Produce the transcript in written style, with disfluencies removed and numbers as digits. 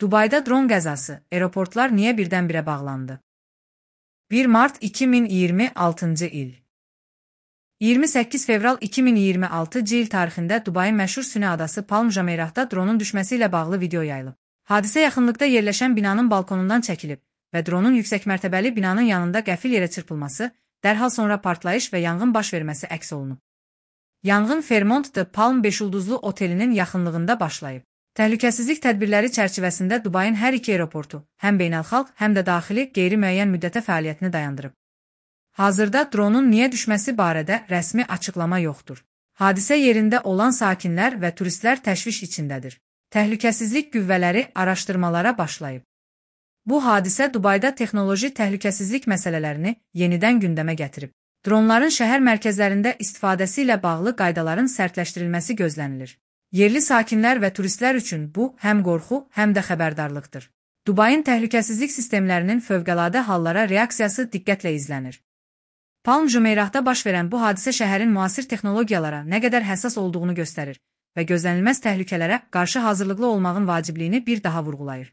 Dubayda dron qəzası, aeroportlar niyə birdən-birə bağlandı? 1 mart 2026-cı il 28 fevral 2026-cı il tarixində Dubayın məşhur Süni adası Palm Jumeirah'da dronun düşməsi ilə bağlı video yayılıb. Hadisə yaxınlıqda yerləşən binanın balkonundan çəkilib və dronun yüksək mərtəbəli binanın yanında qəfil yerə çırpılması, dərhal sonra partlayış və yanğın baş verməsi əks olunub. Yanğın Fairmont de Palm 5 ulduzlu otelinin yaxınlığında başlayıb. Təhlükəsizlik tədbirləri çərçivəsində Dubayın hər iki aeroportu, həm beynəlxalq, həm də daxili qeyri-müəyyən müddətə fəaliyyətini dayandırıb. Hazırda dronun niyə düşməsi barədə rəsmi açıqlama yoxdur. Hadisə yerində olan sakinlər və turistlər təşviş içindədir. Təhlükəsizlik qüvvələri araşdırmalara başlayıb. Bu hadisə Dubayda texnoloji təhlükəsizlik məsələlərini yenidən gündəmə gətirib. Dronların şəhər mərkəzlərində istifadəsi ilə bağlı qaydaların sərtləşdirilməsi gözlənilir. Yerli sakinlər və turistlər üçün bu həm qorxu, həm də xəbərdarlıqdır. Dubayın təhlükəsizlik sistemlərinin fövqəladə hallara reaksiyası diqqətlə izlənir. Palm Jumeirah'da baş verən bu hadisə şəhərin müasir texnologiyalara nə qədər həssas olduğunu göstərir və gözlənilməz təhlükələrə qarşı hazırlıqlı olmağın vacibliyini bir daha vurğulayır.